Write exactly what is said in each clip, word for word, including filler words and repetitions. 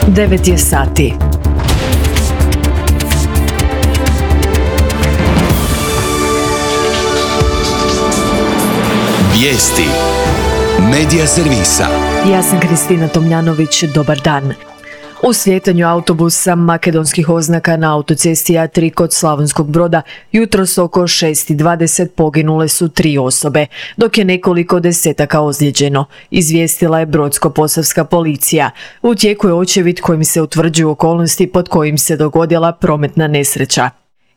devet je sati. Vijesti Medija servisa. Ja sam Kristina Tomljanović, dobar dan. U slijetanju autobusa makedonskih oznaka na autocesti A tri kod Slavonskog Broda jutros oko šest i dvadeset poginule su tri osobe, dok je nekoliko desetaka ozlijeđeno, izvijestila je Brodsko-posavska policija. U tijeku je očevid kojim se utvrđuju okolnosti pod kojim se dogodila prometna nesreća.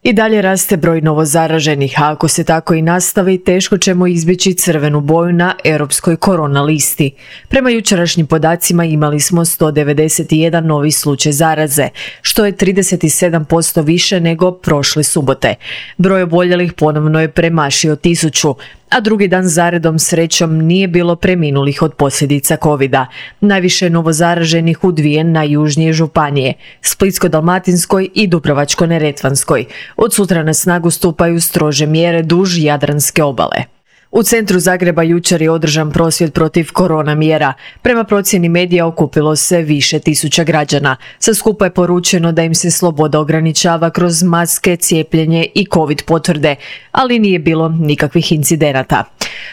I dalje raste broj novozaraženih, a ako se tako i nastavi, teško ćemo izbjeći crvenu boju na europskoj korona listi. Prema jučerašnjim podacima imali smo sto devedeset jedan novi slučaj zaraze, što je trideset sedam posto više nego prošle subote. Broj oboljelih ponovno je premašio tisuću, a drugi dan zaredom srećom nije bilo preminulih od posljedica covida. Najviše novozaraženih u dvije najjužnije županije, Splitsko-dalmatinskoj i Dubrovačko-neretvanskoj. Od sutra na snagu stupaju strože mjere duž Jadranske obale. U centru Zagreba jučer je održan prosvjed protiv korona mjera. Prema procjeni medija okupilo se više tisuća građana. Sa skupa je poručeno da im se sloboda ograničava kroz maske, cijepljenje i covid potvrde, ali nije bilo nikakvih incidenata.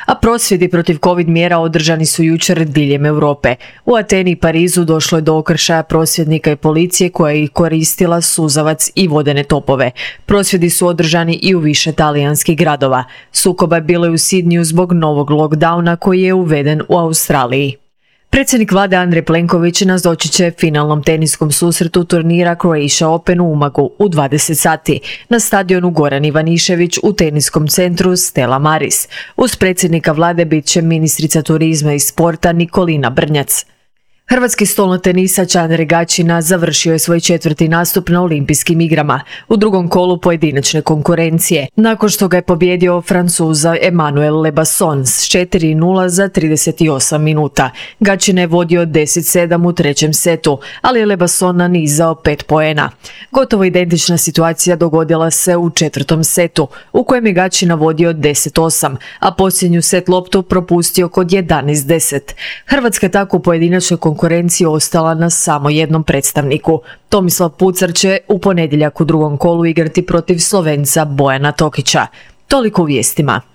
A prosvjedi protiv covid mjera održani su jučer diljem Europe. U Ateni i Parizu došlo je do okršaja prosvjednika i policije koja je koristila suzavac i vodene topove. Prosvjedi su održani i u više talijanskih gradova. Sukoba je bilo i u Sidniju zbog novog lockdowna koji je uveden u Australiji. Predsjednik vlade Andrej Plenković nazočit će finalnom teniskom susretu turnira Croatia Open u Umagu u dvadeset sati na stadionu Goran Ivanišević u teniskom centru Stella Maris. Uz predsjednika vlade bit će ministrica turizma i sporta Nikolina Brnjac. Hrvatski stolnotenisač Andre Gaćina završio je svoj četvrti nastup na Olimpijskim igrama u drugom kolu pojedinačne konkurencije, nakon što ga je pobijedio Francuza Emmanuel Lebasson s četiri nula za trideset osam minuta. Gaćina je vodio deset sedam u trećem setu, ali je Lebasson nanizao pet poena. Gotovo identična situacija dogodila se u četvrtom setu, u kojem je Gaćina vodio deset osam, a posljednju set loptu propustio kod jedanaest deset. Hrvatska je tako u pojedinačnoj konkurenciji konkurenciji ostala na samo jednom predstavniku. Tomislav Pucar će u ponedjeljak u drugom kolu igrati protiv Slovenca Bojana Tokića. Toliko u vijestima.